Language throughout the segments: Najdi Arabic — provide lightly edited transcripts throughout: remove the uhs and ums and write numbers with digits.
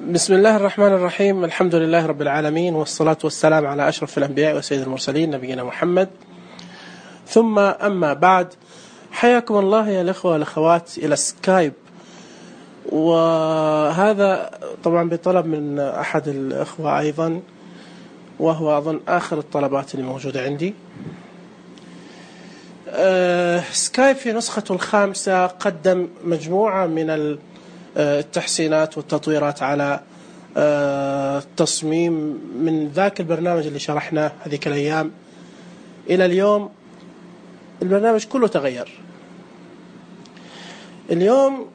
بسم الله الرحمن الرحيم. الحمد لله رب العالمين، والصلاة والسلام على أشرف الأنبياء وسيد المرسلين نبينا محمد، ثم أما بعد. حياكم الله يا الأخوة والأخوات إلى سكايب، وهذا طبعا بطلب من أحد الأخوة أيضا، وهو أظن آخر الطلبات اللي موجودة عندي. سكايب في نسخته الخامسة قدم مجموعة من التحسينات والتطويرات على التصميم من ذاك البرنامج اللي شرحناه هذيك الأيام إلى اليوم. البرنامج كله تغير. اليوم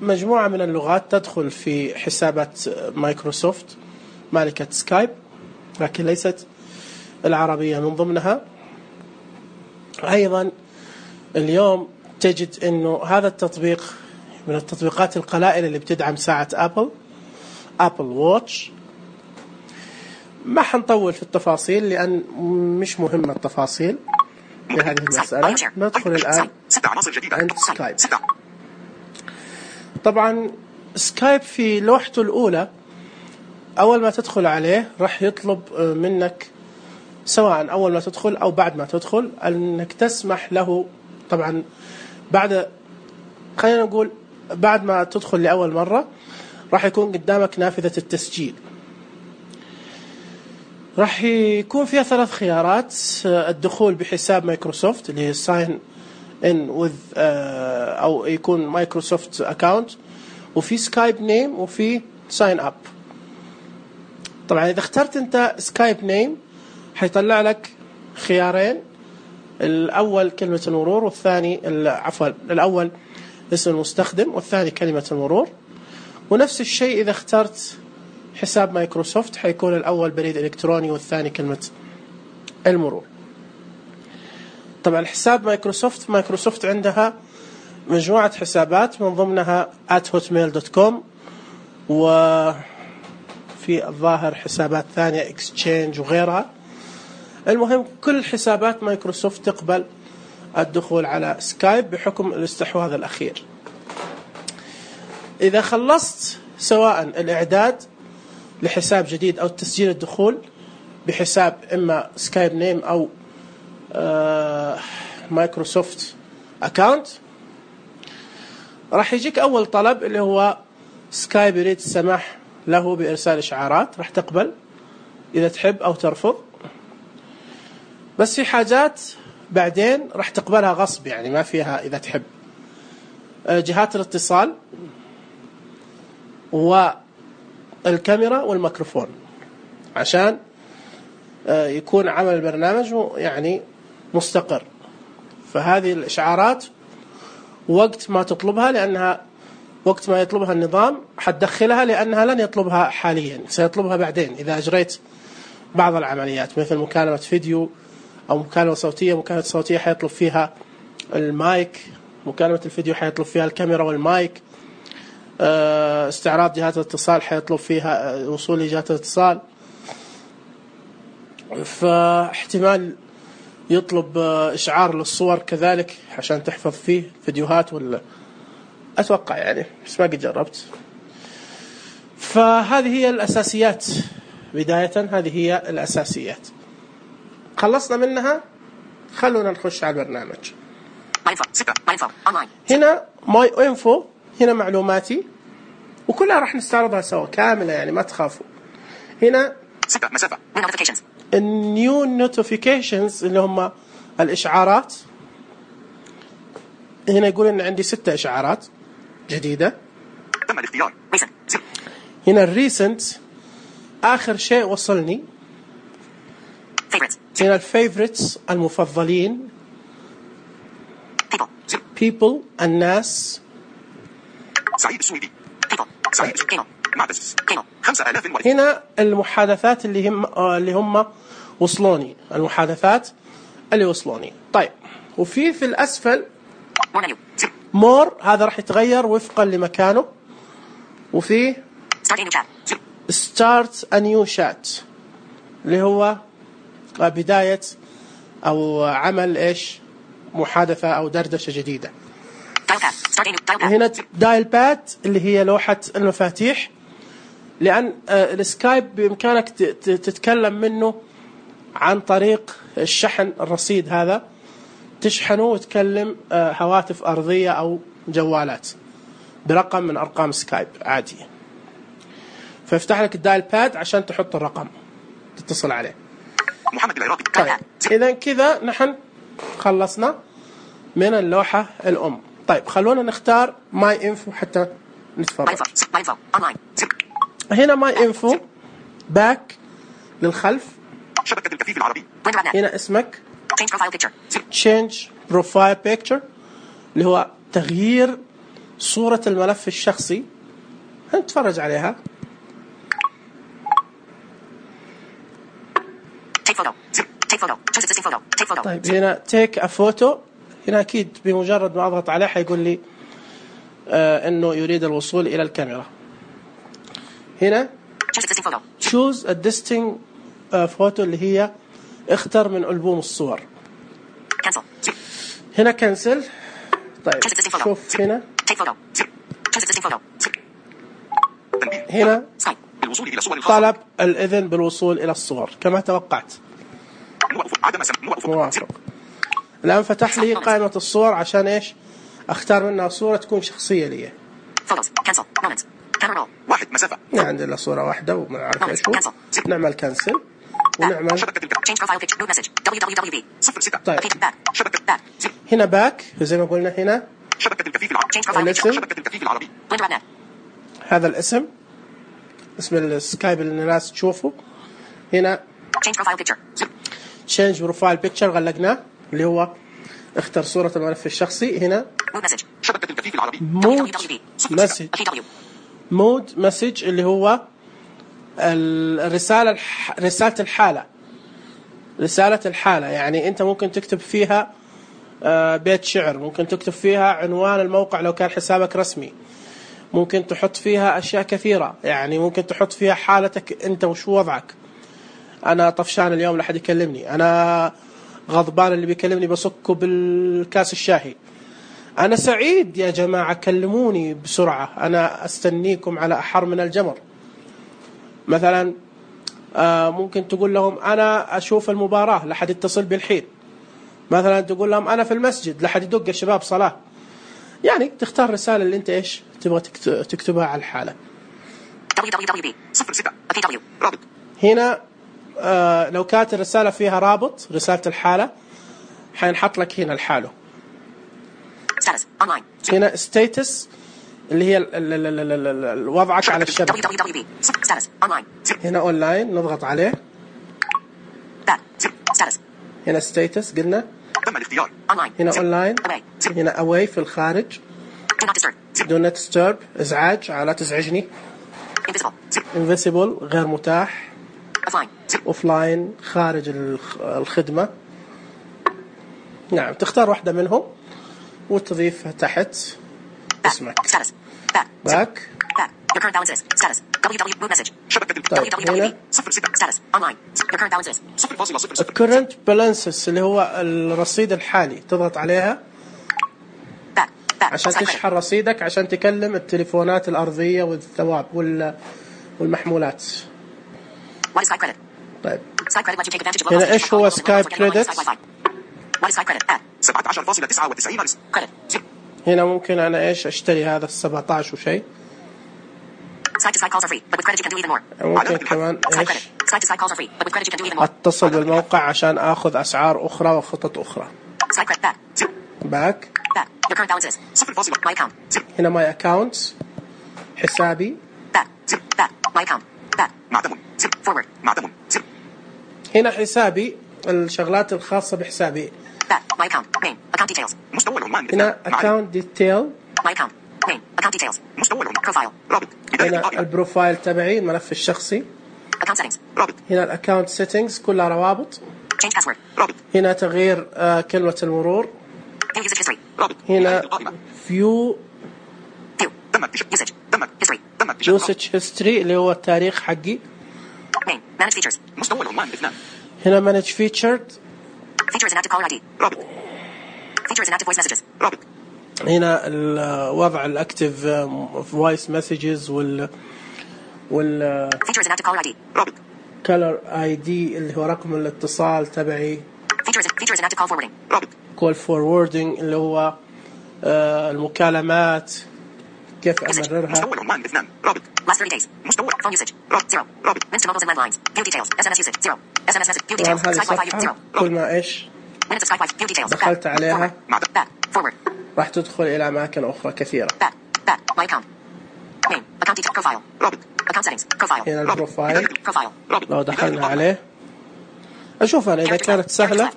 مجموعة من اللغات تدخل في حسابات مايكروسوفت مالكة سكايب، لكن ليست العربية من ضمنها. أيضا اليوم تجد أنه هذا التطبيق من التطبيقات القلائل اللي بتدعم ساعة أبل واتش. ما حنطول في التفاصيل لأن مش مهمة التفاصيل لهذه المسألة. ندخل الآن عند سكايب. طبعا سكايب في لوحته الأولى أول ما تدخل عليه راح يطلب منك، سواء أول ما تدخل أو بعد ما تدخل، أنك تسمح له. طبعا خلينا نقول بعد ما تدخل لأول مرة راح يكون قدامك نافذة التسجيل. راح يكون فيها 3 خيارات: الدخول بحساب مايكروسوفت اللي هي sign in with أو يكون مايكروسوفت أكاونت، وفي سكايب نيم، وفي sign up. طبعا إذا اخترت أنت سكايب نيم حيطلع لك خيارين: الأول كلمة المرور، والثاني الأول اسم المستخدم، والثاني كلمة المرور. ونفس الشيء إذا اخترت حساب مايكروسوفت حيكون الأول بريد إلكتروني والثاني كلمة المرور. طبعا حساب مايكروسوفت عندها مجموعة حسابات، من ضمنها @hotmail.com، وفي الظاهر حسابات ثانية اكسشينج وغيرها. المهم كل حسابات مايكروسوفت تقبل الدخول على سكايب بحكم الاستحواذ الأخير. إذا خلصت سواء الإعداد لحساب جديد أو تسجيل الدخول بحساب إما سكايب نيم أو مايكروسوفت أكاونت، راح يجيك أول طلب اللي هو سكايب يريد السماح له بإرسال إشعارات. راح تقبل إذا تحب أو ترفض، بس في حاجات بعدين راح تقبلها غصب، يعني ما فيها إذا تحب. جهات الاتصال والكاميرا والميكروفون، عشان يكون عمل البرنامج يعني مستقر. فهذه الإشعارات وقت ما تطلبها، لأنها وقت ما يطلبها النظام حتدخلها، لأنها لن يطلبها حاليا، سيطلبها بعدين إذا أجريت بعض العمليات مثل مكالمة فيديو أو مكالمة صوتية. مكالمة صوتية حيطلب فيها المايك، مكالمة الفيديو حيطلب فيها الكاميرا والمايك. استعراض جهات الاتصال حيطلب فيها وصول لجهات الاتصال. فاحتمال يطلب إشعار للصور كذلك عشان تحفظ فيه فيديوهات، ولا أتوقع يعني، بس ما قد جربت. فهذه هي الأساسيات بداية. هذه هي الأساسيات. خلصنا منها، خلونا نخش على البرنامج. هنا ماي انفو، هنا معلوماتي، وكلها راح نستعرضها سوا كاملة، يعني ما تخافوا. هنا النيو نوتيفيكيشنز اللي هم الإشعارات. هنا يقول إن عندي 6 إشعارات جديدة. تم الاختيار. هنا الريسنت، آخر شيء وصلني. هنا الفيفوريتس، المفضلين. people، الناس. سعيد السويدي. هنا المحادثات اللي هم وصلوني، المحادثات اللي وصلوني. طيب، وفي الأسفل مور، هذا راح يتغير وفقا لمكانه. وفي start a new chat اللي هو بداية أو عمل محادثة أو دردشة جديدة. هنا دايل باد اللي هي لوحة المفاتيح. لأن السكايب بإمكانك تتكلم منه عن طريق الشحن الرصيد هذا، تشحنه وتكلم هواتف أرضية أو جوالات برقم من أرقام سكايب عادية. فيفتح لك الدايل باد عشان تحط الرقم تتصل عليه. محمد العراقي. طيب إذا كذا نحن خلصنا من اللوحة الأم. طيب خلونا نختار ماي انفو حتى نتفرج. هنا ماي انفو باك للخلف، شبكة الكفيف العربي. هنا اسمك change profile picture اللي هو تغيير صورة الملف الشخصي. هنتفرج عليها. طيب هنا take a photo. هنا أكيد بمجرد ما أضغط عليه حيقول لي إنه يريد الوصول إلى الكاميرا. هنا choose a distinct photo اللي هي اختر من ألبوم الصور. هنا cancel. طيب شوف هنا طلب الإذن بالوصول إلى الصور كما توقعت. موافق. الآن فتح لي قائمة الصور عشان إيش أختار منها صورة تكون شخصية لي. واحد مسافة. عندنا صورة واحدة وما نعرف إيش هو. نعمل كنسل ونعمل. طيب هنا باك زي ما قلنا. هنا الاسم، هذا الاسم اسم السكايب اللي الناس تشوفه. هنا change profile picture غلقناه اللي هو اختر صورة الملف الشخصي. هنا مود مسج اللي هو الرسالة رسالة الحالة. رسالة الحالة يعني أنت ممكن تكتب فيها بيت شعر، ممكن تكتب فيها عنوان الموقع لو كان حسابك رسمي، ممكن تحط فيها أشياء كثيرة. يعني ممكن تحط فيها حالتك أنت وش وضعك. أنا طفشان اليوم لا حد يكلمني، أنا غضبان اللي بيكلمني بصكه بالكاس الشاهي، أنا سعيد يا جماعة كلموني بسرعة، أنا أستنيكم على أحر من الجمر. مثلا ممكن تقول لهم أنا أشوف المباراة لا حد يتصل بالحين. مثلا تقول لهم أنا في المسجد لا حد يدق الشباب صلاة. يعني تختار رسالة اللي أنت إيش تبغى تكتبها على الحالة. هنا لو كانت الرسالة فيها رابط رسالة الحالة حينحط لك هنا الحاله. هنا ستاتس اللي هي وضعك على الشبكة. هنا أونلاين نضغط عليه. هنا ستاتس قلنا. هنا أونلاين. هنا أواي في الخارج. Do not disturb إزعاج لا تزعجني. invisible غير متاح. أوفلاين خارج الخدمة. نعم تختار واحدة منهم وتضيفها تحت اسمك. باك. طيب هنا current balances اللي هو الرصيد الحالي تضغط عليها عشان تشحن رصيدك عشان تكلم التليفونات الأرضية والثواب والمحمولات. طيب هنا إيش هو سكايب كريدت؟ 17.99 هنا ممكن أنا إيش أشتري هذا 17 وشيء. ممكن كمان إيش أتصل بالموقع عشان أخذ أسعار أخرى وخطط أخرى. باك. هنا ماي أكاونت حسابي. هنا حسابي الشغلات الخاصة بحسابي. هنا account detail. هنا البروفايل تبعي الملف الشخصي. هنا الأكاونت settings كلها روابط. هنا تغيير كلمة المرور. هنا view usage history اللي هو التاريخ حقي. هنا manage featured. هنا الوضع الأكتيف voice messages وال Feature is an active caller ID. رابط. color ID اللي هو رقم الاتصال تبعي. Feature is an active call forwarding. رابط. call forwarding اللي هو المكالمات كيف أمررها. مستوى العنوان 2. رابط. Last 30 days. مستوى phone usage. رابط 0. رابط. Minutes to mobiles and landlines. View details. SMS usage 0. SMS message. View details. هذه Skype Wi-Fi 0. صفحة كل ما إيش Minutes of Skype Wi-Fi. View details. دخلت عليها Back. Forward. راح تدخل إلى أماكن أخرى كثيرة. Back. My account. Name. Account detail. Profile. رابط. Account settings. Profile. هنا البروفايل. Profile. رابط. لو دخلنا عليه أشوف أنا إذا كانت سهلة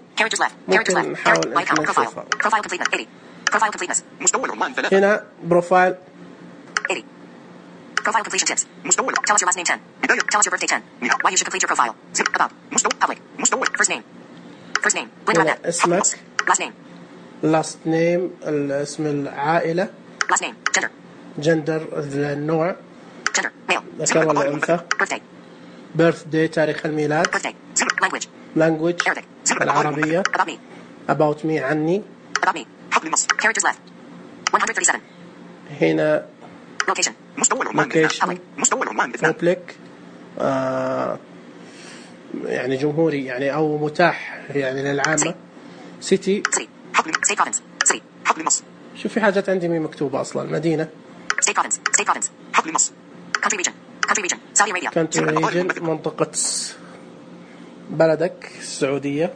ممكن نحاول إن نشوفها. Profile completeness 80. Profile completeness. مستوى العنوان 3. هنا بروفايل 80. Profile completion tips. مستوى. Tell us your last name 10. بداية. Tell us your birthday 10. Why you should complete your profile. About. مستوى. Public. مستوى. First name. هنا اسمك. Last name. last name الاسم العائلة. Last name. gender النوع. Gender. Male. ذكر ولا أنثى. birthday تاريخ الميلاد. language العربية. about me عني. حقل النص. characters left. 137. هنا location. مستوى العنوان. مستوى العنوان. public يعني جمهوري يعني أو متاح يعني للعامة. city. حقل. state province. city. حقل النص. شوف في حاجات عندي مي مكتوبة أصلا. مدينة. state province. حقل النص. country region. Saudi Arabia. country region منطقة بلدك السعودية.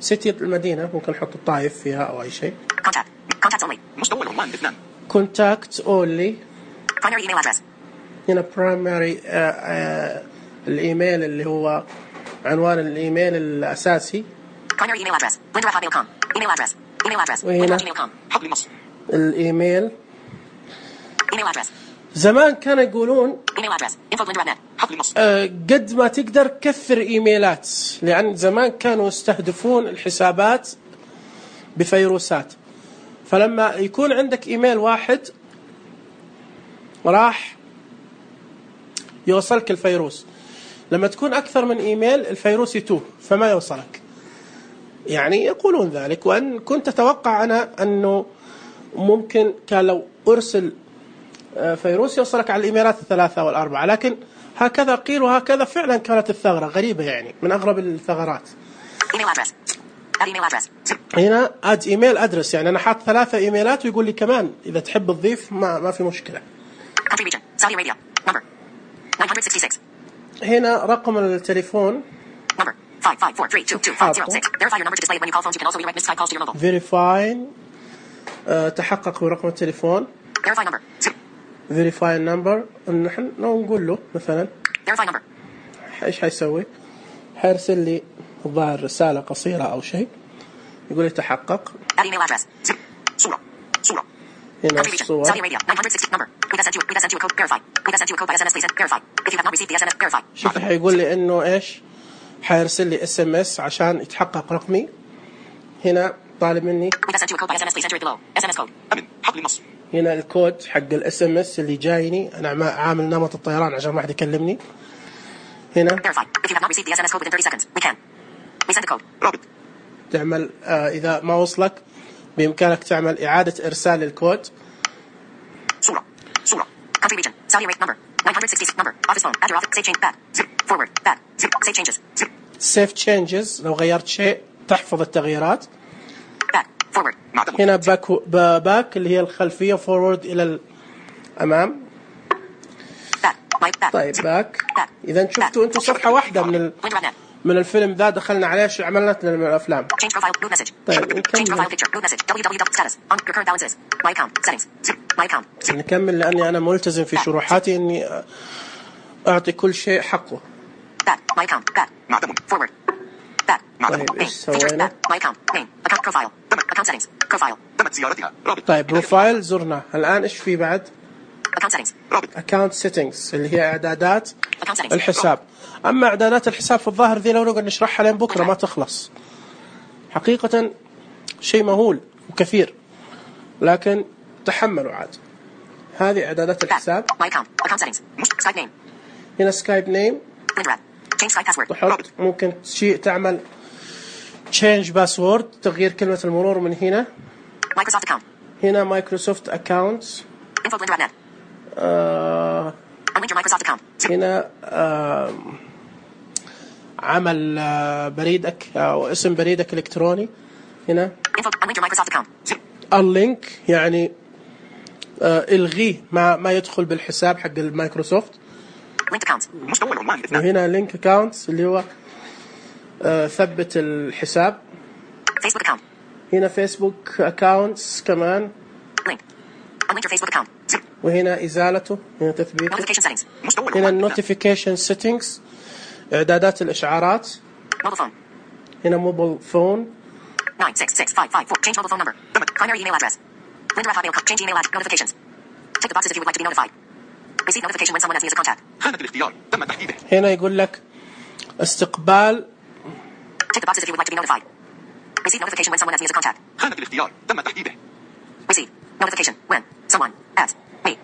city المدينة ممكن نحط الطائف فيها أو أي شيء. contacts only. مستوى العنوان 2. contact only. primary email address. هنا primary الإيميل اللي هو عنوان الإيميل الأساسي. primary email address. linda@hotmail.com. email address. وهنا حقل النص. الإيميل. email address. زمان كانوا يقولون email address. info@linda.net. حقل النص. قد ما تقدر كثر إيميلات لأن زمان كانوا يستهدفون الحسابات بفيروسات. فلما يكون عندك إيميل واحد راح يوصلك الفيروس. لما تكون أكثر من إيميل الفيروس يتوه فما يوصلك. يعني يقولون ذلك. وأن كنت أتوقع أنا أنه ممكن كان لو أرسل فيروس يوصلك على الإيميلات 3 أو 4 لكن هكذا قيل وهكذا فعلا كانت الثغرة غريبة يعني من أغرب الثغرات. هنا add email address يعني أنا حاط 3 إيميلات ويقول لي كمان إذا تحب تضيف ما في مشكلة. country region. Saudi Arabia. number 966. هنا رقم التليفون. number 554322506. verify your number to display it when you call phones. You can also redirect missed calls to your mobile. verify تحقق برقم التليفون. verify number. verify number نحن نقول له مثلا verify number. إيش حيسوي؟ حيرسل لي الظاهر رسالة قصيرة أو شيء يقول لي تحقق. add email address. صورة. هنا country region. الصور. Saudi Arabia. 960 number. We have sent you a code. Verify. We have sent you a code by SMS. Please verify. If you have not received the SMS, verify. شوف حيقول لي إنه إيش حيرسل لي SMS عشان يتحقق رقمي. هنا طالب مني. We have sent you a code by SMS. Please enter it below. SMS code. أمن. حقل النص. هنا الكود حق SMS اللي جايني أنا عامل نمط الطيران عشان ما حد يكلمني. هنا verify. If you have not received the SMS code within 30 seconds, we can. We send the code. رابط. تعمل إذا ما وصلك بإمكانك تعمل إعادة إرسال الكود. صورة. country region. Saudi Arabia. number 966 number. office phone. add your office. save change. Bad. forward. Bad. save changes. save changes لو غيرت شيء تحفظ التغييرات. back. forward. هنا باك اللي هي الخلفية forward إلى الأمام. back. طيب باك. إذا شفتوا أنتم صفحة واحدة من الفيلم ذا دخلنا عليه شو عملنا من الأفلام. change profile. root message. طيب change profile picture. root message. www. status. on your current balances. my account. settings. my account. نكمل لأني أنا ملتزم في شروحاتي إني أعطي كل شيء حقه. back. my account. back. forward. back. طيب إيش سوينا؟ my account. name. account profile. account settings. profile. تمت زيارتها. طيب بروفايل زرنا. الآن إيش في بعد؟ account settings. account settings اللي هي إعدادات الحساب. أما إعدادات الحساب في الظاهر ذي لو نقعد نشرحها لين بكرة ما تخلص. حقيقة شيء مهول وكثير لكن تحملوا عاد. هذه إعدادات الحساب. هنا سكايب نيم. تحط ممكن شيء تعمل change password تغيير كلمة المرور من هنا. هنا مايكروسوفت أكاونت. Unlink your Microsoft account. هنا عمل بريدك أو اسم بريدك الإلكتروني. هنا Info. Unlink your Microsoft account. unlink يعني الغيه ما يدخل بالحساب حق المايكروسوفت. Linked accounts. مستوى العنوان 2. وهنا link accounts اللي هو ثبت الحساب. Facebook account. هنا فيسبوك accounts كمان. Link. Unlink your Facebook account. وهنا إزالته. هنا تثبيته. Notification settings. مستوى هنا العنوان 2. notification settings إعدادات الإشعارات. Mobile phone. هنا موبل فون. 966554. Change mobile phone number. Primary email address. Linda@hotmail. Change email address. Notifications. Tick the boxes if you would like to be notified. Receive notification when someone adds me as a contact. خانة الاختيار تم تحديده. هنا يقول لك استقبال. Tick the boxes if you would like to be notified. Receive notification when someone adds me as a contact. خانة الاختيار تم تحديده. Receive notification when someone adds me.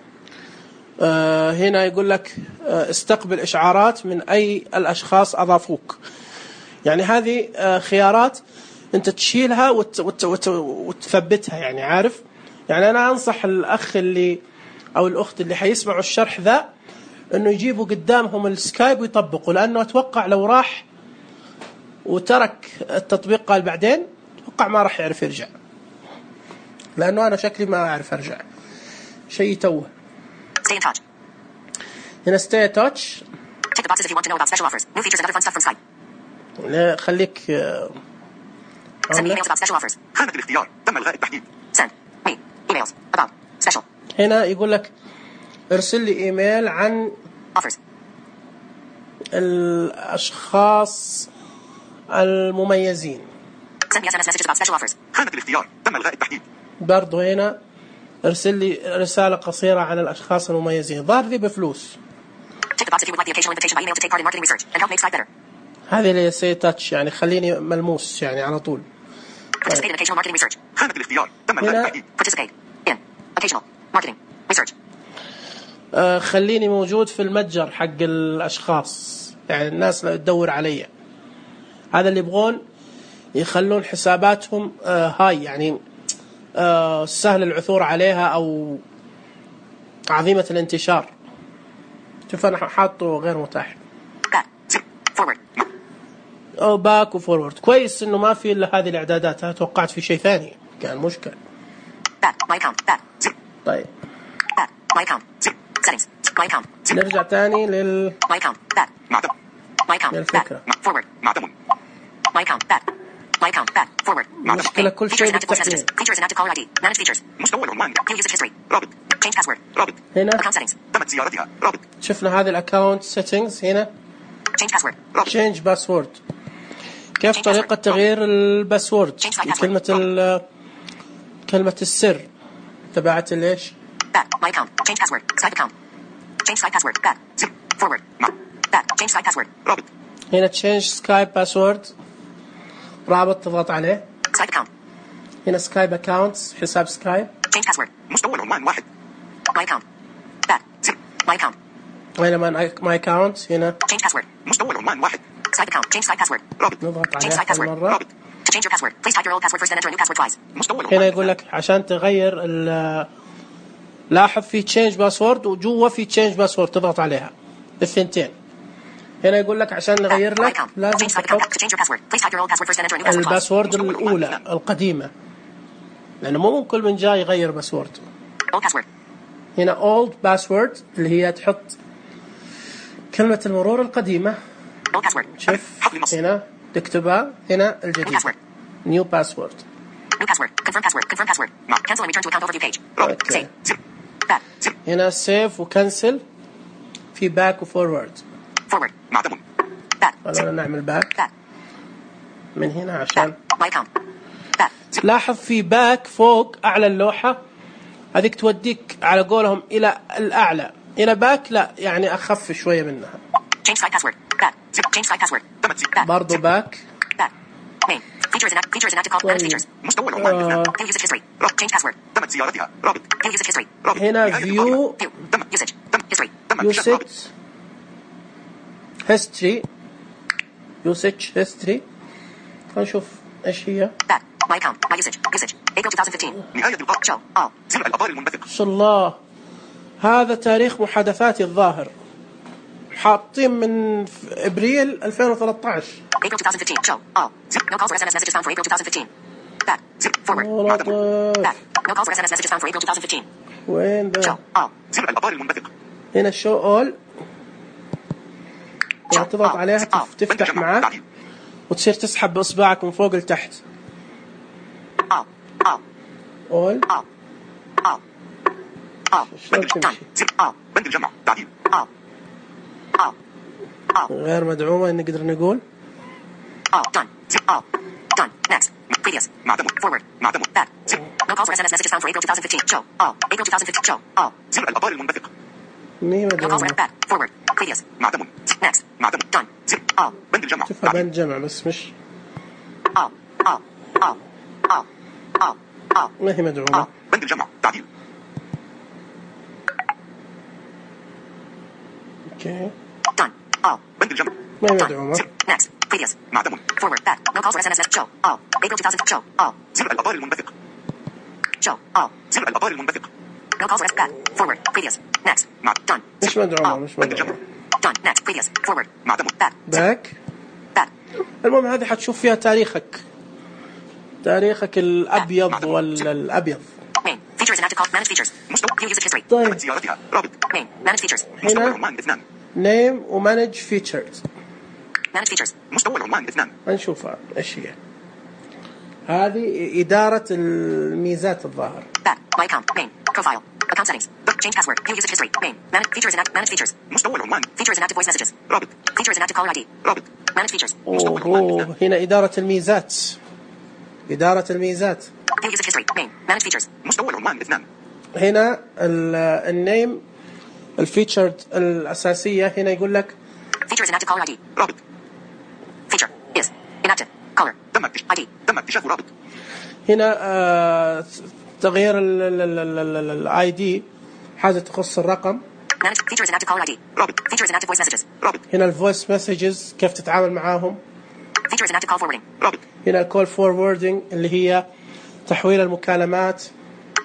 هنا يقول لك استقبل إشعارات من أي الأشخاص أضافوك. يعني هذه خيارات أنت تشيلها وتثبتها، يعني عارف. يعني أنا أنصح الأخ اللي أو الأخت اللي حيسمعوا الشرح ذا إنه يجيبوا قدامهم السكايب ويطبقوا، لأنه أتوقع لو راح وترك التطبيق قال بعدين أتوقع ما راح يعرف يرجع، لأنه أنا شكلي ما أعرف أرجع شيء توه. Stay in touch. هنا stay in touch. Tick the boxes if you want to know about special offers, new features and other fun stuff from Skype. خليك Send me emails about special offers. خانة الاختيار تم إلغاء التحديد. Send me emails about special هنا يقول لك ارسل لي إيميل عن offers. الأشخاص المميزين. Send me SMS messages about special offers. خانة الاختيار تم إلغاء التحديد. برضو هنا ارسل لي رسالة قصيرة عن الأشخاص المميزين. ظاهر ذي بفلوس. Tick the box if you would like the occasional invitation by email to take part in marketing research and help make Skype better. هذه اللي سي تاتش، يعني خليني ملموس يعني على طول. Participate in occasional marketing research. خانة الاختيار تم إلغاء هنا التحديد. Participate in occasional marketing research. خليني موجود في المتجر حق الأشخاص، يعني الناس اللي تدور علي. هذا اللي يبغون يخلون حساباتهم هاي، يعني سهل العثور عليها أو عظيمة الانتشار. شوف أنا حاطه غير متاح. Back. Forward. أو باك وفورورد. كويس إنه ما في إلا هذه الإعدادات. أنا توقعت في شيء ثاني كان مشكل. Back. My account. Back. طيب Back. My account. Settings. My account. نرجع تاني My account. Back. معتم. My account. للفكرة. Back. Forward. معتم. My account. Back. My account. Back. Forward. مشكلة كل شيء Features and active voice بالتحديد. messages. Features and active caller ID. Manage features. مستوى العنوان. View usage history. رابط. Change password. رابط. هنا Account settings. تمت زيارتها. رابط. شفنا هذه الأكاونت سيتنجز. هنا Change password. رابط. change باسورد. كيف طريقة تغيير الباسورد؟ كلمة السر تبعت ليش؟ Back. My account. Change password. Skype account. Change Skype password. Back. Forward. Back. Change Skype password. رابط. هنا change سكايب باسورد. رابط تضغط عليه. Skype account. هنا سكايب اكاونتس حساب سكايب. Change password. مستوى العنوان 1. My account. Back. My account. هنا ماي اكاونت. هنا Change password. مستوى العنوان 1. Skype account. Change Skype password. رابط. نضغط Change عليه Skype password. مرة. رابط. To change your password, please type your old password first and enter a new password twice. مستوى العنوان. هنا يقول لك عشان تغير لاحظ في change باسورد وجوا في change باسورد تضغط عليها الثنتين. هنا يقول لك عشان نغير My لك account. لازم Change Skype account. تحط To change your password, please type your old password first and enter a new password twice. الباسورد الأولى القديمة، لأنه مو كل من جاي يغير باسورد. Old password. هنا old password اللي هي تحط كلمة المرور القديمة. Old password. شوف هنا تكتبها. هنا الجديد New password. new password. New password. Confirm password. Confirm password. Cancel and return to account overview page. رابط. Save. Back. هنا save وكنسل. في back وفورورد. Forward. معتم. Back. خلونا نعمل back Back. من هنا عشان My account. Back. لاحظ في back فوق أعلى اللوحة هذيك توديك على قولهم إلى الأعلى. هنا back لا يعني أخف شوية منها. Change Skype password. Back. Change Skype password. تمت. برضو back. Back. Main. Features and active call. Manage features. مستوى العنوان. View usage history. Change password. تمت زيارتها. رابط. View usage history. رابط. هنا view View. Usage. History. usage history. خلينا نشوف إيش هي. Back. My account. My usage. April 2015. نهاية اللقاء. Show. All. زر الأطار المنبثق. ما شاء الله هذا تاريخ محادثاتي الظاهر. حاطين من ابريل 2013. April 2015. Show. All. No calls or SMS messages found for April 2015. Back. Forward. Back. No calls or SMS messages found for April 2015. وين Show. ذا؟ All. زر الأخبار المنبثق. هنا شو اول، تضغط عليها تفتح معك تعديل. وتصير تسحب بإصبعك من فوق لتحت. All. All. اول All. All. All. شلون تمشي؟ Zip. All. بند الجمع تعديل. All. All. All. غير مدعومة نقدر نقول. All. Done. Zip. All. Done. Next. Previous. معتمد. Forward. معتمد. Back. Zip. No calls or SMS messages found for April 2015. Show. All. April 2015. Show. All. زر الأخبار المنبثق. مي No calls or مدعومة. back. Forward. Previous. معتمد. Next. معتمد. Done. Zip. All. بند الجمع شوفها تعديل. بين جمع بس مش All. All. All. All. All. All. ما هي مدعومة. بند الجمع تعديل. اوكي Done. All. بند الجمع. ما هي Done. مدعومة. Zip. Next. Previous. معتمد. Forward. Back. No calls or SMS. Show. All. April 2000. Show. All. زر الأخبار المنبثق. Show. All. زر الأخبار المنبثق. No calls or SMS. Back. Forward. Previous. Next. Done. مش مدعومة All. مش بند مدعومة. الجمع. Done. Next. Previous. Forward. معتمد. Back. Zip. باك. Back. المهم هذه حتشوف فيها تاريخك الأبيض ولا الأبيض. Main. Features and active call. Manage features. View usage history. طيب تمت زيارتها. رابط. Main. Manage features. مستوى هنا العنوان 2. name وmanage features. Manage features. مستوى العنوان 2. هنشوفها ايش هي. هذه إدارة الميزات الظاهر. Back. My account. Main. Profile. Account settings. Change password. View usage history. Main. Manage features and manage features. مستوى العنوان. Features and active voice messages. رابط. Features and active caller ID. رابط. Manage features. أوه هنا إدارة الميزات. إدارة الميزات. View usage history. Main. Manage features. مستوى العنوان 2. هنا النيم الفيتشرد الأساسية هنا يقول لك Features and active caller ID. رابط. Feature is inactive. Caller تم ID. تم اكتشاف رابط. هنا تغيير الاي دي حاجة تخص الرقم. Manage features and active caller ID. رابط. Features and active voice messages. رابط. هنا الفويس مسجز كيف تتعامل معاهم. Features and active call forwarding. رابط. هنا الكول فوروردنج اللي هي تحويل المكالمات.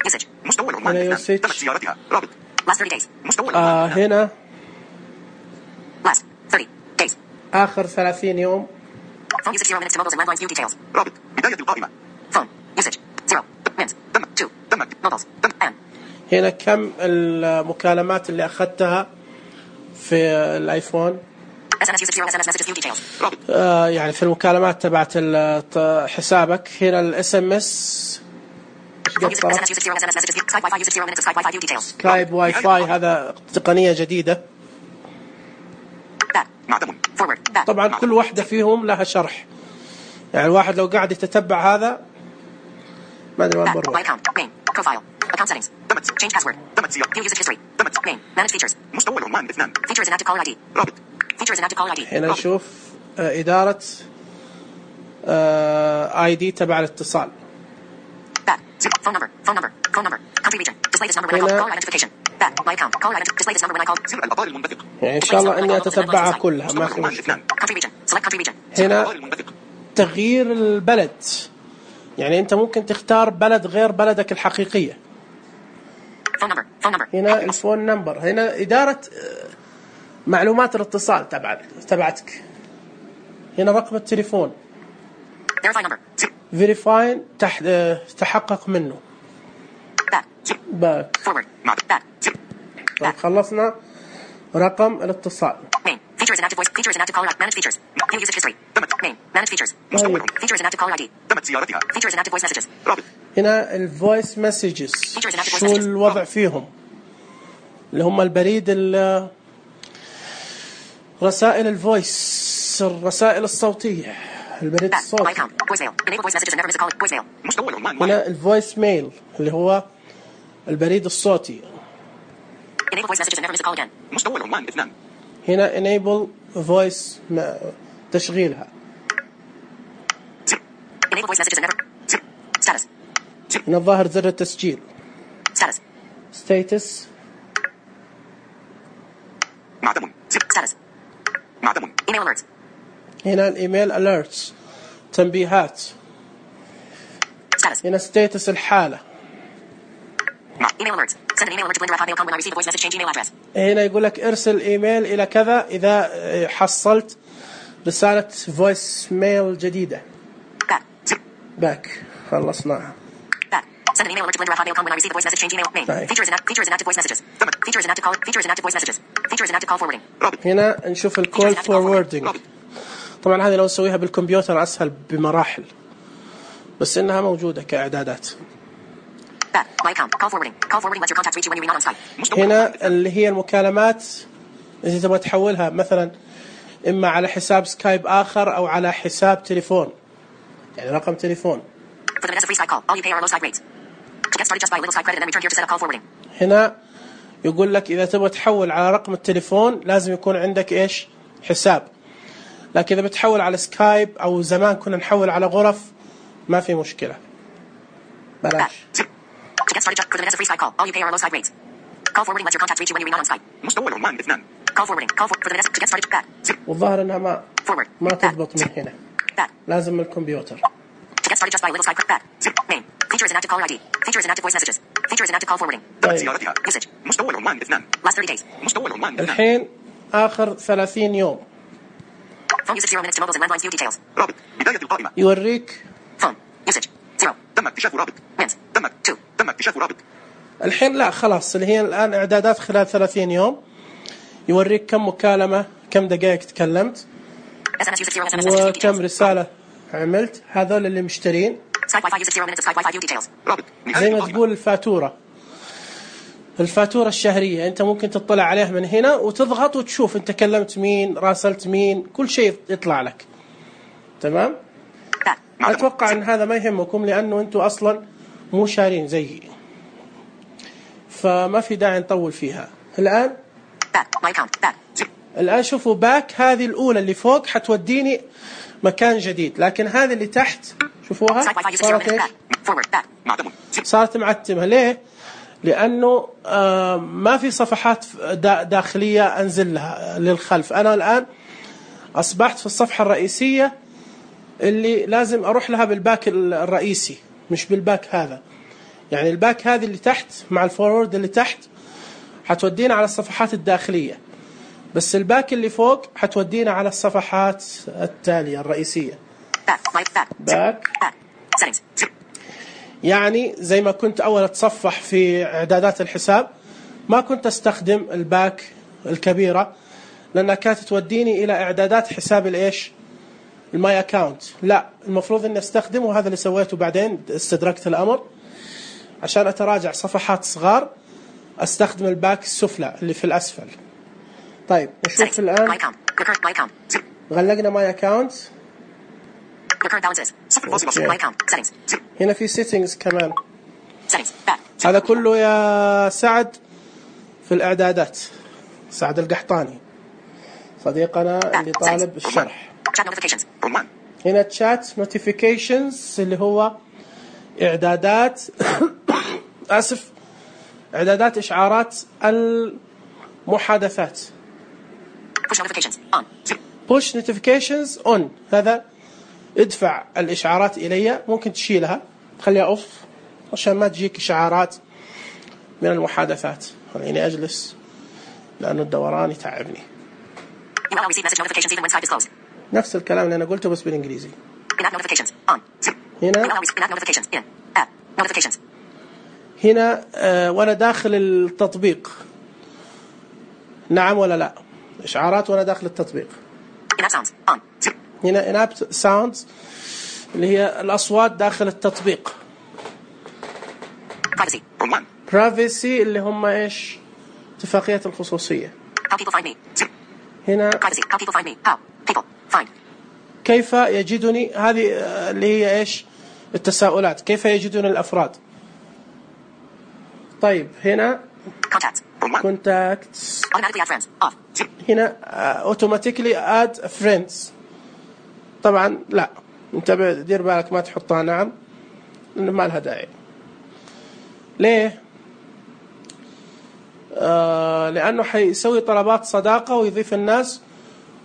Usage. مستوى العنوان هنا 2. usage. تمت زيارتها. رابط. Last 30 days. مستوى العنوان 2. هنا Last 30 days. آخر 30 يوم. Phone usage 0 minutes to mobiles and landlines. View details. رابط. بداية القائمة. Phone usage 0 minutes. تم. 2 تم. mobiles. And هنا كم المكالمات اللي أخذتها في الآيفون. SMS usage 0 SMS messages. View details. رابط. يعني في المكالمات تبعت حسابك. هنا الاس ام اس Phone usage SMS usage 0 SMS messages. Skype Wi-Fi usage 0 minutes. Skype Wi-Fi. View details. سكايب واي فاي هذا تقنية جديدة. Back. معتمد. Forward. Back. طبعا كل واحدة فيهم لها شرح. يعني الواحد لو قاعد يتتبع هذا ما ادري وين Back. My بروح. account. Main. Profile. Account settings. تمت. Change password. تمت زيارة. View usage history. تمت. Main. Manage features. مستوى العنوان 2. Features and active caller ID. رابط. Features and active caller ID. هنا نشوف إدارة اي دي تبع الاتصال. Back. Phone number. Phone number. Phone number. Country region. Display this number when I call. Caller identification. Back. My account. Caller identification. Display this number when I call. زر الأخبار المنبثق. يعني إن شاء الله إني أتتبعها كلها ما مستوى في العنوان مشكلة. 2. Country region. Select country region. زر هنا الأخبار المنبثق. تغيير البلد. يعني أنت ممكن تختار بلد غير بلدك الحقيقية. Phone number. Phone number. هنا الفون نمبر. هنا إدارة معلومات الاتصال تبعتك. هنا رقم التليفون. Verify number. فيريفاين تحقق منه. Back. باك. Forward. معتمد. Back. طيب خلصنا رقم الاتصال. Main. Features and active voice. Features and active caller ID. Manage features. View usage history. Main. Manage features. طيب. Features and active caller ID. تمت زيارتها. Features and active voice messages. رابط. هنا الفويس مسجز Features and active voice شو messages. الوضع فيهم؟ اللي هم البريد رسائل الفويس الرسائل الصوتية البريد Back. My الصوتي. account. Voicemail. Enable voice messages and never miss a call. Voicemail. مستوى العنوان 1. هنا الفويس ميل اللي هو البريد الصوتي. Enable voice messages and never miss a call again. مستوى العنوان 2. هنا enable voice تشغيلها. Enable voice messages and never. Status. هنا الظاهر زر التسجيل. Status. status. معتمد. Status. معتمد. Email alerts. هنا الايميل alerts تنبيهات. Status. هنا status الحالة. Email alerts. Send an email alert to Blender@hotmail.com when I receive a voice message. Change email address. هنا يقول لك ارسل ايميل الى كذا اذا حصلت رسالة فويس ميل جديدة. باك خلصناها. Send an email alert to Blender@hotmail.com when I receive a voice message. Change email name. Feature is inactive voice messages. Feature is inactive call. Feature is inactive voice messages. Feature is inactive call forwarding. هنا نشوف الكول فوروردنج. طبعا هذه لو نسويها بالكمبيوتر أسهل بمراحل، بس إنها موجودة كإعدادات. My account. Call forwarding. Call forwarding lets your contacts reach you when you're not on site. هنا اللي هي المكالمات إذا تبغى تحولها مثلا إما على حساب سكايب آخر أو على حساب تليفون، يعني رقم تليفون. For the Vanessa free Skype call, all you pay are low Skype rates. Get started just buy a little Skype credit and then return here to set up call forwarding. هنا يقول لك إذا تبغى تحول على رقم التليفون لازم يكون عندك إيش؟ حساب. لكن إذا بتحول على سكايب أو زمان كنا نحول على غرف ما في مشكلة. بلاش. To get started just for the Vanessa free Skype call, all you pay are low Skype rates. Call forwarding lets your contacts reach you when you're not on Skype. مستوى العنوان 2. Call forwarding. Call for the Vanessa to get started. Back. والظاهر إنها ما تضبط من هنا. Back. لازم من الكمبيوتر. To get started just buy a little Skype back. Name. Feature is inactive caller ID. Feature is inactive voice messages. Feature is inactive call forwarding. Usage. مستوى العنوان 2. Last 30 days. مستوى العنوان 2. الحين آخر 30 يوم. Phone usage 0 minutes to mobiles and landlines. View details. رابط بداية القائمة. يوريك. Phone usage 0. تم اكتشاف رابط. Minutes. تم اكتشاف رابط. الحين لا خلاص اللي هي الآن إعدادات خلال 30 يوم. يوريك كم مكالمة كم دقائق تكلمت. SMS usage 0 SMS. وكم رسالة عملت. هذول اللي مشترين. Skype Wi-Fi usage 0 minutes of Skype Wi-Fi. View details. رابط. زي ما تقول الفاتورة الشهرية أنت ممكن تطلع عليها من هنا وتضغط وتشوف أنت كلمت مين راسلت مين كل شيء يطلع لك. تمام؟ أتوقع أن هذا ما يهمكم لأنه أنتم أصلا مو شارين زيي، فما في داعي نطول فيها. الآن Back. My account. Back. الآن شوفوا باك هذه الأولى اللي فوق حتوديني مكان جديد، لكن هذه اللي تحت شوفوها Skype Wi-Fi usage 0 minutes. Back. Forward. Back. معتم. صارت معتمة. ليه؟ لأنه ما في صفحات داخلية أنزل لها للخلف. أنا الآن أصبحت في الصفحة الرئيسية اللي لازم أروح لها بالباك الرئيسي مش بالباك هذا. يعني الباك هذه اللي تحت مع الفورورد اللي تحت حتودينا على الصفحات الداخلية، بس الباك اللي فوق حتودينا على الصفحات التالية الرئيسية. باك Settings. يعني زي ما كنت أول أتصفح في إعدادات الحساب ما كنت أستخدم الباك الكبيرة لأنها كانت توديني إلى إعدادات حساب الإيش الماي أكاونت. لا، المفروض أن أستخدم، وهذا اللي سويته بعدين استدركت الأمر عشان أتراجع صفحات صغار أستخدم الباك السفلى اللي في الأسفل. طيب نشوف الآن غلقنا ماي أكاونت. هنا في settings كمان. هذا كله يا سعد في الإعدادات. سعد القحطاني صديقنا اللي طالب الشرح. هنا chat notifications اللي هو إعدادات آسف إعدادات إشعارات المحادثات. push notifications on. هذا ادفع الإشعارات إلي، ممكن تشيلها تخليها أوف عشان ما تجيك إشعارات من المحادثات. خليني أجلس لأنه الدوران يتعبني. نفس الكلام اللي أنا قلته بس بالإنجليزي. هنا وأنا داخل التطبيق نعم ولا لا، إشعارات وأنا داخل التطبيق. هنا in-app sounds اللي هي الأصوات داخل التطبيق. privacy اللي هم إيش اتفاقية الخصوصية. هنا كيف يجدني، هذه اللي هي إيش التساؤلات، كيف يجدني الأفراد. طيب هنا contacts هنا automatically add friends. طبعا لا، انتبه دير بالك ما تحطها نعم لأنه ما لها داعي. ليه؟ لأنه حيسوي طلبات صداقة ويضيف الناس،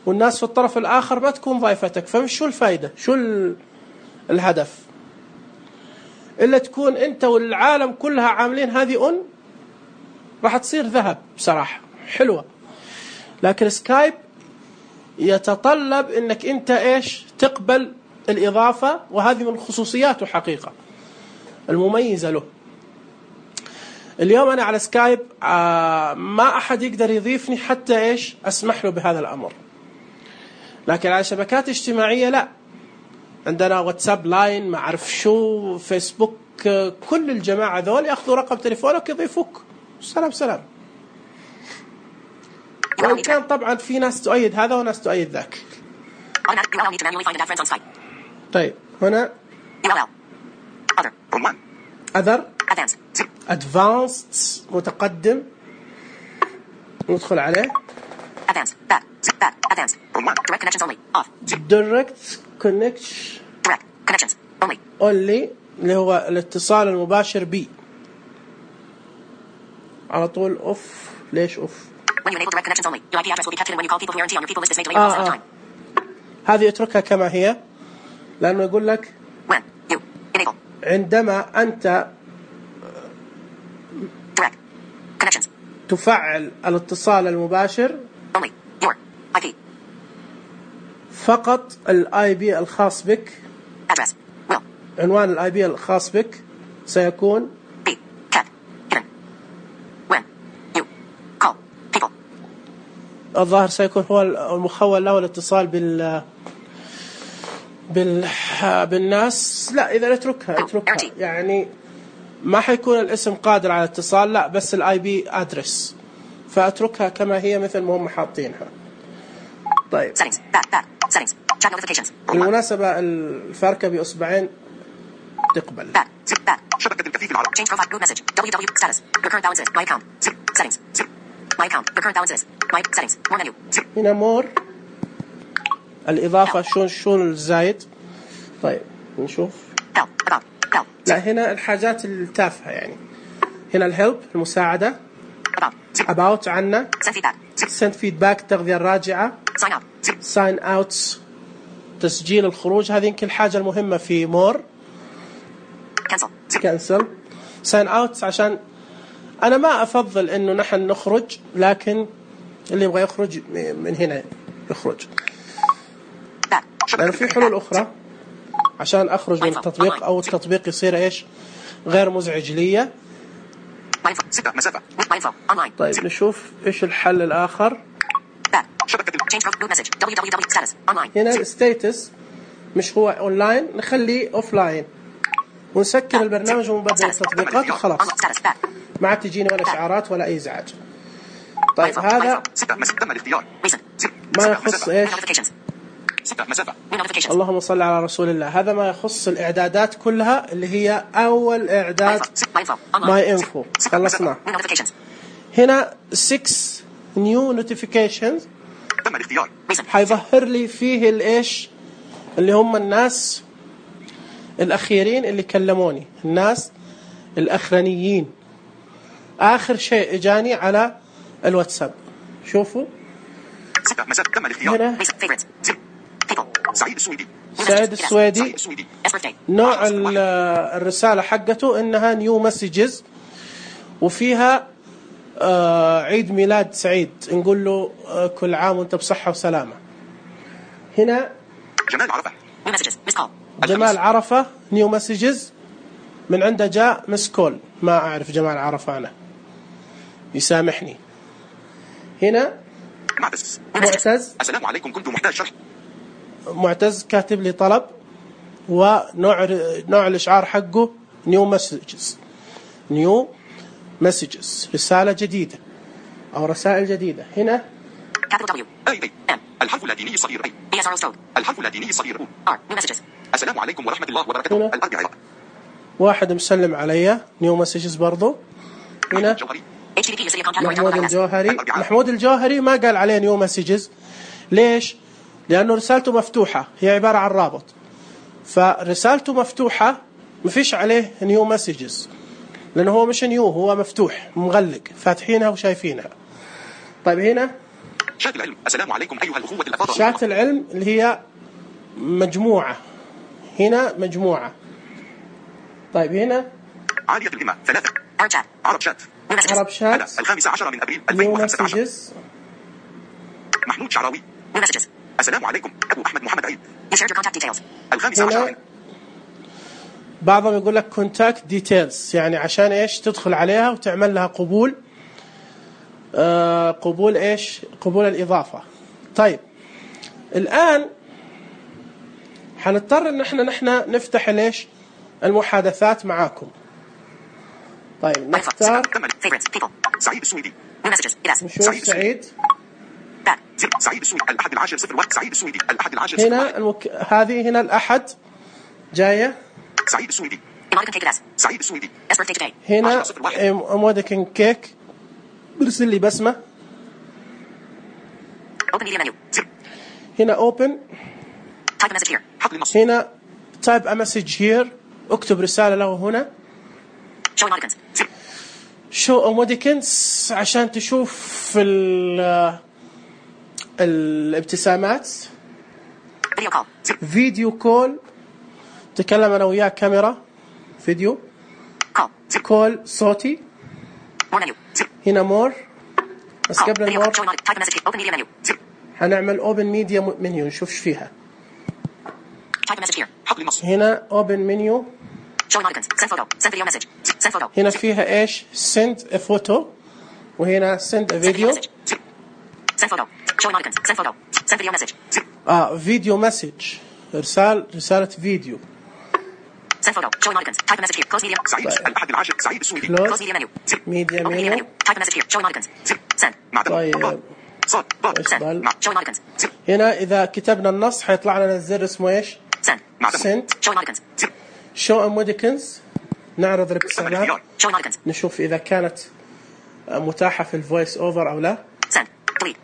والناس في الطرف الآخر ما تكون ضيفتك، فمش شو الفائدة، شو الهدف إلا تكون أنت والعالم كلها عاملين هذه راح تصير ذهب بصراحة حلوة، لكن سكايب يتطلب انك انت ايش تقبل الاضافة، وهذه من خصوصياته حقيقة المميزة له. اليوم انا على سكايب ما احد يقدر يضيفني حتى ايش اسمح له بهذا الامر، لكن على شبكات اجتماعية لا، عندنا واتساب، لاين، ما اعرف شو، فيسبوك، كل الجماعة ذول ياخذوا رقم تليفونك يضيفوك، سلام سلام. وإن كان طبعا في ناس تؤيد هذا وناس تؤيد ذاك. طيب هنا other advanced متقدم، ندخل عليه direct connections only اللي هو الاتصال المباشر بي، على طول اوف. ليش اوف؟ When you enable direct connections only, your IP address will be kept hidden when you call people who guarantee on your people list is made available outside of time. هذه اتركها كما هي، لأنه يقول لك When you enable عندما أنت direct connections تفعل الاتصال المباشر only, your IP فقط الاي بي الخاص بك، address will عنوان الاي بي الخاص بك سيكون be kept hidden when you call people. الظاهر سيكون هو المخول له الاتصال بالناس. لا إذا اتركها يعني ما حيكون الاسم قادر على الاتصال، لا بس الاي بي ادرس، فاتركها كما هي مثل ما هم حاطينها. طيب Settings back settings chat notifications بالمناسبة الفركة بإصبعين تقبل. back شبكة الكفيف العرب. change profile group message www status your current balance is my account settings my account your current balance is my settings more menu. هنا مور الإضافة شون الزايد. طيب نشوف. about لا هنا الحاجات التافهة يعني. هنا الهيلب المساعدة، about عنا، send feedback التغذية الراجعة، sign out تسجيل الخروج، هذه يمكن الحاجة المهمة في مور. cancel sign out عشان أنا ما أفضل إنه نحن نخرج، لكن اللي يبغى يخرج من هنا يخرج، لأنه في حلول أخرى عشان أخرج من التطبيق أو التطبيق يصير إيش غير مزعج لي. طيب نشوف إيش الحل الآخر. هنا الستاتس مش هو أونلاين، نخليه أوفلاين ونسكر البرنامج ومبدل التطبيقات وخلاص، ما عاد تجيني ولا إشعارات ولا أي إزعاج. طيب هذا ما يخص إيش، اللهم صل على رسول الله، هذا ما يخص الإعدادات كلها اللي هي أول إعداد ماي إنفو خلصنا. هنا 6 نيو نوتيفيكيشنز حيظهر لي فيه الإيش اللي هم الناس الأخيرين اللي كلموني، الناس الأخرانيين. آخر شيء إجاني على الواتساب، شوفوا هنا سعيد السويدي، نوع الرسالة حقته إنها نيو مسجز وفيها عيد ميلاد سعيد، نقول له كل عام وانت بصحة وسلامة. هنا جمال عرفة نيو مسجز، من عنده جاء مسكول، ما أعرف جمال عرفة أنا يسامحني. هنا معتز، السلام عليكم كنت محتاج شرح. معتز كاتب لي طلب، ونوع الإشعار حقه نيو مسجز رسالة جديدة أو رسائل جديدة. هنا الحرف اللاتيني الصغير الحرف اللاتيني الصغير السلام عليكم ورحمة الله وبركاته. الأربعاء واحد مسلم علي نيو مسجز برضو. هنا محمود الجوهري ما قال عليه نيو مسجز، ليش؟ لأنه رسالته مفتوحة، هي عبارة عن رابط، فرسالته مفتوحة ما فيش عليه نيو مسجز، لأنه هو مش نيو، هو مفتوح مغلق، فاتحينها وشايفينها. طيب هنا شات العلم، السلام عليكم أيها الأخوة الأفاضل. شات العلم اللي هي مجموعة، هنا مجموعة. طيب هنا عالية الهمة 3 عرب شات New messages. عرب شات. 15 من أبريل New 2015. messages. محمود شعراوي. New messages. السلام عليكم أبو أحمد محمد عيد. You shared your contact details. 15 هنا بعضهم يقول لك contact details، يعني عشان ايش تدخل عليها وتعمل لها قبول. قبول ايش؟ قبول الإضافة. طيب الآن حنضطر ان احنا نفتح ليش المحادثات معاكم. طيب نختار favorites people. سعيد السويدي. New messages. Yes. نشوف سعيد. Back. سعيد السويدي الأحد العاشر 01. سعيد السويدي الأحد العاشر 01. هنا هذه هنا الأحد جاية. سعيد السويدي. Emoticon cake address. سعيد السويدي. Best birthday today. هنا أمودكن كيك برسل لي بسمة. Open media menu. هنا open. Type a message here. حقل النص. هنا type a message here، اكتب رسالة له هنا. Show emoticons. show emoticons عشان تشوف الابتسامات. Video call. فيديو كول، تكلم أنا وياك كاميرا فيديو. Call. كول صوتي. More menu. هنا مور، بس Call. قبل Video المور call. Show emoticon. Type a message here. Open media menu. هنعمل open media menu نشوف فيها. Type a message here. حقل النص. هنا open menu. Show emoticons. Send photo. Send video message. Send photo. هنا فيها ايش؟ send a photo، وهنا send a Send video video. message. Send photo. Show emoticons. Send photo. Send video message. فيديو مسج، رسالة فيديو. Send photo. Show emoticons. Type a message here. Close media. سعيد الأحد العاشر. سعيد السويدي. Close Close media menu. media Open media menu. menu. Type a message here. Show emoticons. Send. معدن. طيب صاد. ضاد. إيش بال؟ Show emoticons. هنا إذا كتبنا النص حيطلع لنا الزر اسمه ايش؟ Send. send. Show emoticons. show emoticons، نعرض الابتسامات، Show emoticons. نشوف إذا كانت متاحة في الفويس أوفر أو لا. Send. Delete.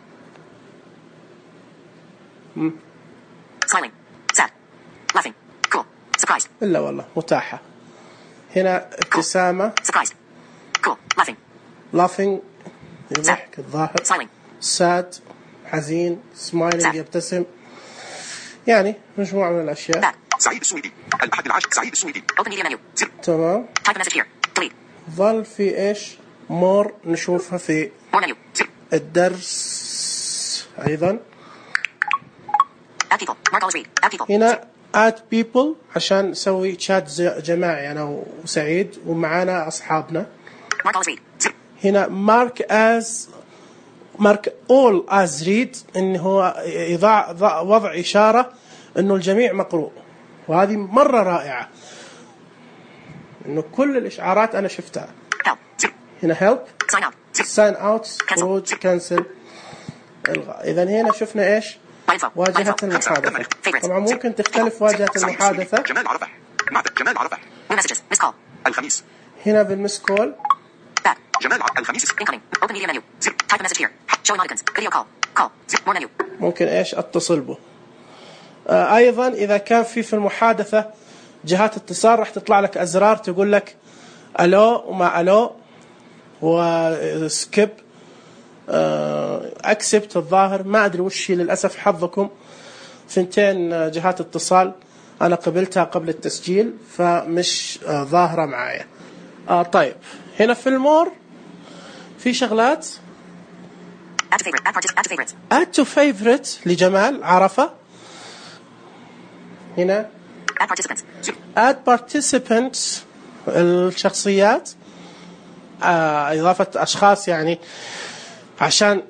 Smiling. Sad. Laughing. Cool. Surprised. إلا والله متاحة. هنا ابتسامة. Surprised. Cool. Laughing. laughing يضحك الظاهر. Smiling. sad حزين. smiling يبتسم. يعني مجموعة من الأشياء. Back. سعيد السويدي الأحد العاشر. سعيد السويدي. Open media menu. تمام. Type a message here. Delete. ظل في إيش؟ more نشوفها في More menu. الدرس أيضا. Add people. Mark always read. Add people. هنا add people عشان نسوي شات جماعي أنا وسعيد ومعانا أصحابنا. Mark always read. هنا mark all as read، إن هو وضع إشارة إنه الجميع مقروء، وهذه مرة رائعة إنه كل الإشعارات أنا شفتها. Help. هنا help. Sign out. sign out خروج cancel إلغاء. إذا هنا شفنا إيش؟ My info. واجهة My info. المحادثة. Favorites. طبعا ممكن تختلف واجهة المحادثة. جمال عرفة. معدن. جمال عرفة. New messages. Missed call. الخميس. هنا بالمس كول. Back. جمال الخميس. Incoming. Open media menu. Type a message here. Show emoticons. Video call. Call. More menu. ممكن إيش أتصل به. أيضا إذا كان في المحادثة جهات اتصال راح تطلع لك أزرار تقول لك ألو وما ألو وسكيب أكسبت. الظاهر ما أدري وش هي، للأسف حظكم ثنتين جهات اتصال أنا قبلتها قبل التسجيل فمش ظاهرة معايا. طيب هنا في المور في شغلات. Add to favorite. Add to favorites. add to favorite لجمال عرفة. هنا Add participants. add participants الشخصيات، إضافة أشخاص يعني عشان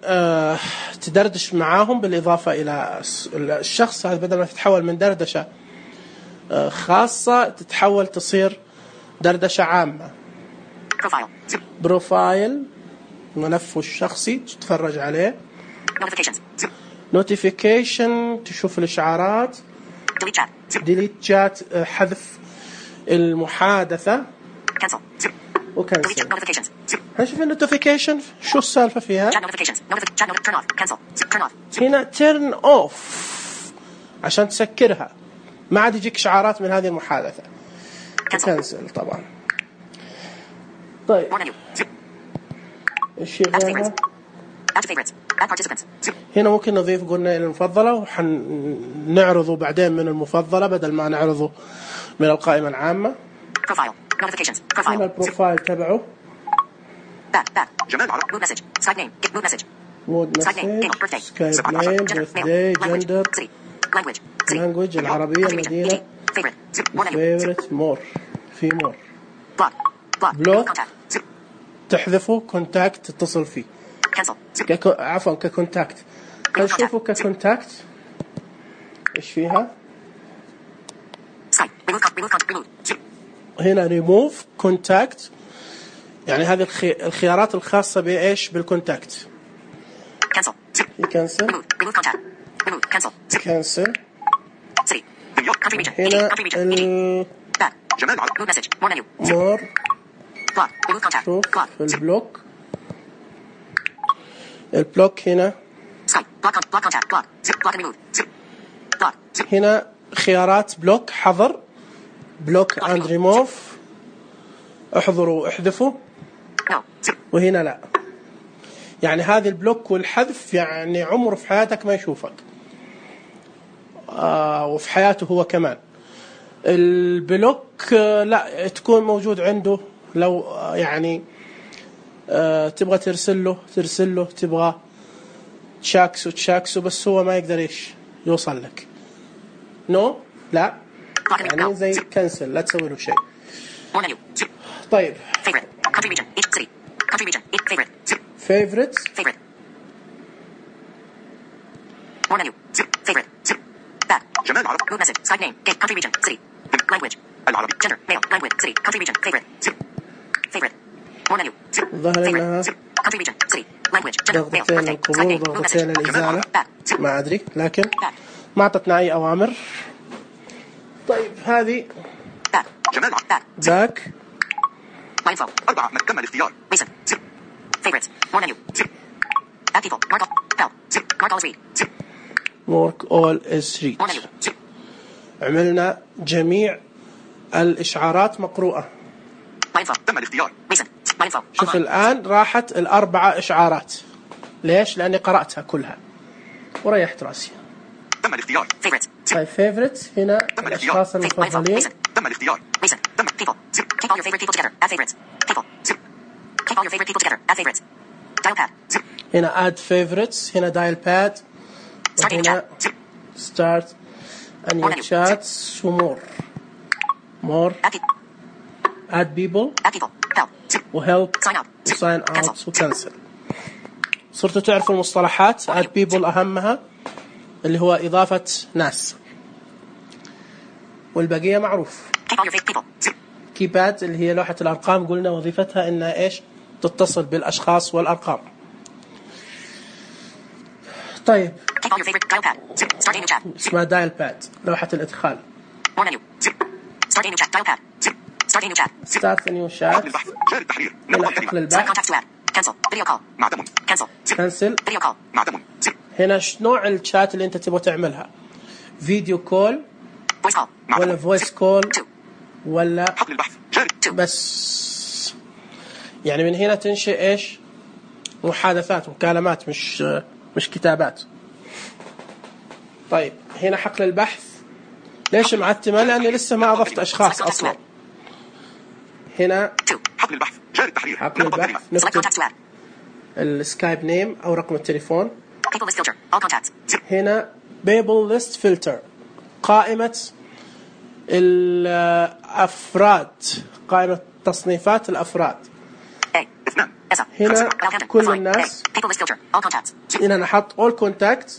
تدردش معاهم بالإضافة إلى الشخص هذا، بدل ما تتحول من دردشة خاصة تتحول تصير دردشة عامة. Profile. بروفايل ملفه الشخصي تتفرج عليه. Notifications. notification تشوف الإشعارات. Delete chat. delete chat حذف المحادثة. Cancel. Delete وكنسل. notifications. هنشوف النوتيفيكيشن شو السالفة فيها. Chat notifications. Chat turn off. Cancel. Turn off. هنا turn off عشان تسكرها، ما عاد يجيك إشعارات من هذه المحادثة. كنسل طبعا. طيب More menu. إيش Add to غيرها؟ favorites. Add to favorites. Add participants. هنا ممكن نضيف قلنا إلى المفضلة وحنعرضه بعدين من المفضلة بدل ما نعرضه من القائمة العامة. Profile. Notifications. هنا Profile. البروفايل تبعه. Back. جمال عرب. Mood message. Skype name. Get mood message. مود Skype name. Game. مسج Birthday. سكايب نيم بيرثداي جندر City. Language. City. لانجويج العربية Country region. مدينة Favorite. More menu. فيفورت مور في مور Block. Block. Contact. تحذفه كونتاكت تتصل فيه Cancel. عفوا ككونتاكت خلينا نشوفه ككونتاكت ايش فيها Skype. Remove contact. Remove. هنا ريموف كونتاكت يعني هذه الخيارات الخاصة بإيش بالكونتاكت Cancel. يكنسل Remove contact. Remove. Cancel. كنسل City. دمياط. Country region. هنا Country region. Back. جمال عرب. Mood message. More menu. مور Block. Remove contact. شوف Block. في البلوك البلوك هنا Skype. Block contact. Block. Block and remove. Block. هنا خيارات بلوك حظر بلوك اند ريموف احضروا واحذفوا No. وهنا لا يعني هذه البلوك والحذف يعني عمره في حياتك ما يشوفك وفي حياته هو كمان البلوك لا تكون موجود عنده لو يعني تبغى ترسل له تبغى تشاكسه بس هو ما يقدر ايش يوصل لك نو لا Block and remove. يعني No. زي كنسل لا تسوي له شيء More menu. طيب Favorite. Country region. Each city. Country region. Each favorite. فيفورت Favorite. More menu. Favorite. Back. جمال عرب. Mood message. Skype name. Game. Country region. City. Language. العربي. Gender. Male. Language. City. Country region. Favorite. Favorite. More menu. ظهر انها Country region. City. Language. Gender. Male. ضغطتين Birthday. Skype القبول name. Mood وضغطتين message. الإزالة Back. ما أدري لكن Back. ما أعطتنا أي أوامر طيب هذه Back. جمال عرب. Back. باك My info. 4 من تم الاختيار. Recent. Favorites. More menu. Add people. Mark all. Bell. Mark all is read. work all is read More menu. عملنا جميع الإشعارات مقروءة My info. تم الاختيار. Recent. My info. شوف Online. الآن راحت الأربعة إشعارات ليش؟ لأني قرأتها كلها وريحت رأسي تم الاختيار. Favorites. طيب فيفورت هنا الأشخاص My info. المفضلين Recent. تم الاختيار. Recent. People. Keep all your favorite people together. Add favorites. People. Keep all your favorite people together. Add favorites. Dial pad. هنا add favorites هنا dial pad Start a new وهنا chat. start a new More chats more Add people. add people Help. وhelp Sign out. وsign out Cancel. وكنسل صرتوا تعرفوا المصطلحات add people أهمها اللي هو إضافة ناس والبقية معروف Keep all your favorite people. كيباد اللي هي لوحة الأرقام قلنا وظيفتها إنها إيش تتصل بالأشخاص والأرقام طيب Keep all your favorite dial pad. Start a new chat. اسمها دايل باد لوحة الإدخال More menu. Start a new chat. Dial pad. Start a new chat. ستارت نيو حقل شات البحث. جاري التحرير. هنا نقطة حقل الكلمة. Select البحث contacts to add. Cancel. Video call. معتم. Cancel. كنسل Video call. معتم. هنا نوع الشات اللي أنت تبغى تعملها فيديو كول Voice call. ولا معتم. فويس كول 2. ولا حقل البحث. جاري. بس يعني من هنا تنشئ إيش محادثات مكالمات مش كتابات طيب هنا حقل البحث ليش معتمة لأني لسه ما أضفت أشخاص أصلا هنا 2. حقل البحث. جاري التحرير. حقل نقطة البحث الكلمة. Select نكتب contacts to add. السكايب نيم أو رقم التليفون People list filter. All contacts. هنا بيبل ليست فلتر قائمة الأفراد قائمة تصنيفات الأفراد A. 2. Esa. هنا Alcantara. كل Fine. الناس. A. People list filter. All contacts. هنا نحط all contacts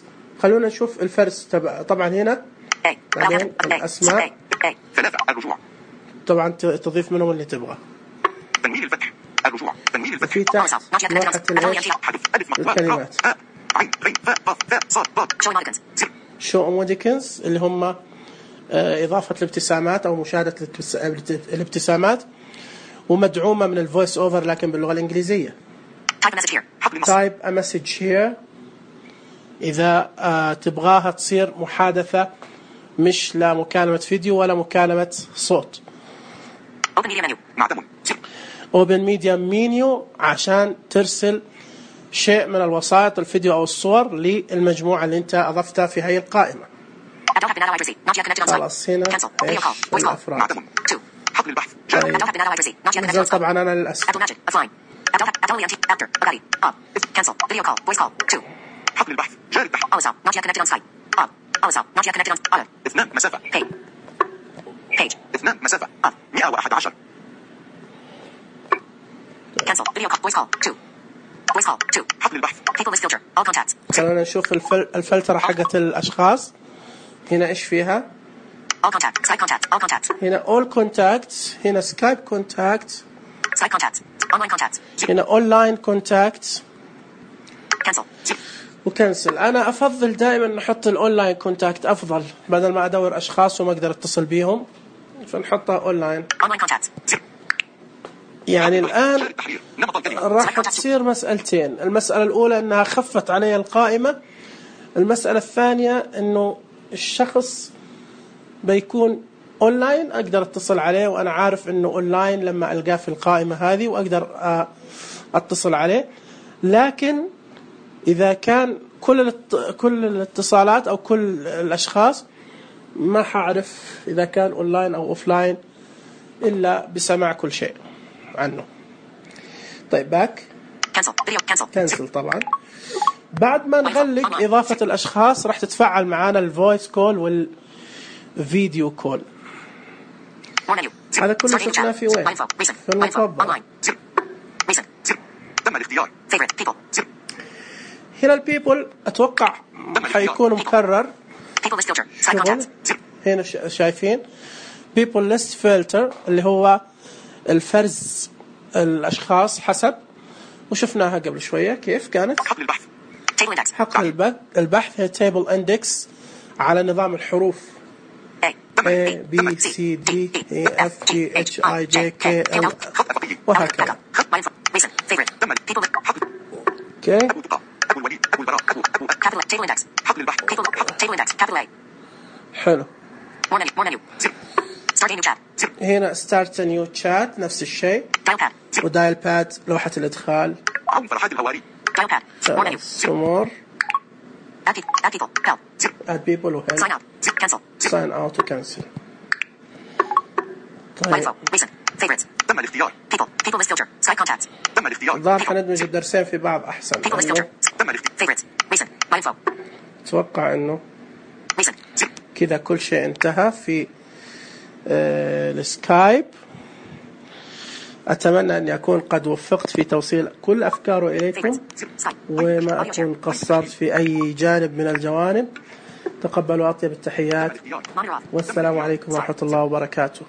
خلونا نشوف الفرز طبعا هنا A. بعدين Alcantara. A. الأسماء. A. 3. الرجوع. طبعا تضيف منهم اللي تبغى تنوين الفتح. الرجوع. تنوين الفتح. في تحت لوحة الإيش حذف. ألف مقطع. الكلمات. عين. غين. فاء. قاف. فاء. صاد. ضاد. Show emoticons. شو ايموديكنز اللي هم إضافة الابتسامات أو مشاهدة الابتسامات ومدعومة من الفويس أوفر لكن باللغة الإنجليزية Type a message here. حقل النص. type a message here إذا تبغاها تصير محادثة مش لا مكالمة فيديو ولا مكالمة صوت Open media menu. معتم. open media menu عشان ترسل شيء من الوسائط الفيديو أو الصور للمجموعة اللي أنت أضفتها في هذه القائمة Add don't have been added by Not yet connected on site. خلاص هنا Cancel. Video إيش call. Voice call. الأفراد معتم. 2. حقل البحث. طيب. جاري. Add don't have been added by Not yet connected نزل on site. طبعا أنا للأسف Add magic. Offline. Abdullah after. Agadi. On. Cancel. Video call. Voice call. 2. حقل البحث. جاري البحث. Alisal. Not yet connected on Skype. On. Alisal. Not yet connected on Auto. 2 مسافة. Page. 2 مسافة. On. 111. Cancel. Video call. Voice call. 2. Voice call. 2. حقل البحث. People list filter. All contacts. خلينا نشوف الفلترة حقت الأشخاص. هنا إيش فيها؟ All contact. Skype contact. All contacts. هنا all contacts. هنا Skype contacts. Skype contacts. Online contacts. هنا online contacts. Cancel. وكنسل. أنا أفضل دائما نحط الأونلاين كونتاكت أفضل بدل ما أدور أشخاص وما أقدر أتصل بيهم فنحطها أونلاين. Online contacts. يعني الآن راح تصير مسألتين. المسألة الأولى أنها خفت علي القائمة. المسألة الثانية أنه الشخص بيكون أونلاين أقدر أتصل عليه وأنا عارف أنه أونلاين لما ألقاه في القائمة هذه وأقدر أتصل عليه. لكن إذا كان كل الاتصالات أو كل الأشخاص ما حعرف إذا كان أونلاين أو أوفلاين إلا بسماع كل شيء عنه. طيب باك كنسل طبعا. بعد ما نغلق إضافة الأشخاص راح تتفعل معنا الفويس كول والفيديو كول. هذا كله شفناه في وين؟ في المطبع. تم الاختيار. هنا البيبل أتوقع حيكون مكرر. هنا شايفين people list filter اللي هو الفرز الأشخاص حسب وشفناها قبل شوية كيف كانت. حقل البحث. حقل البحث هي table index على نظام الحروف A B C D E F G H I J K L وهكذا. اوكي. حلو. هنا start a new chat نفس الشيء. ودايل باد لوحة الإدخال. فرحات الهواري. سمور. add people وهل. sign out وcancel. طيب. تم الاختيار. تم الاختيار. الظاهر حندمج الدرسين في بعض أحسن. تم الاختيار. أتوقع إنه كذا كل شيء انتهى في السكايب. أتمنى أن أكون قد وفقت في توصيل كل أفكاره إليكم وما أكون قصرت في أي جانب من الجوانب. تقبلوا أطيب التحيات والسلام عليكم ورحمة الله وبركاته.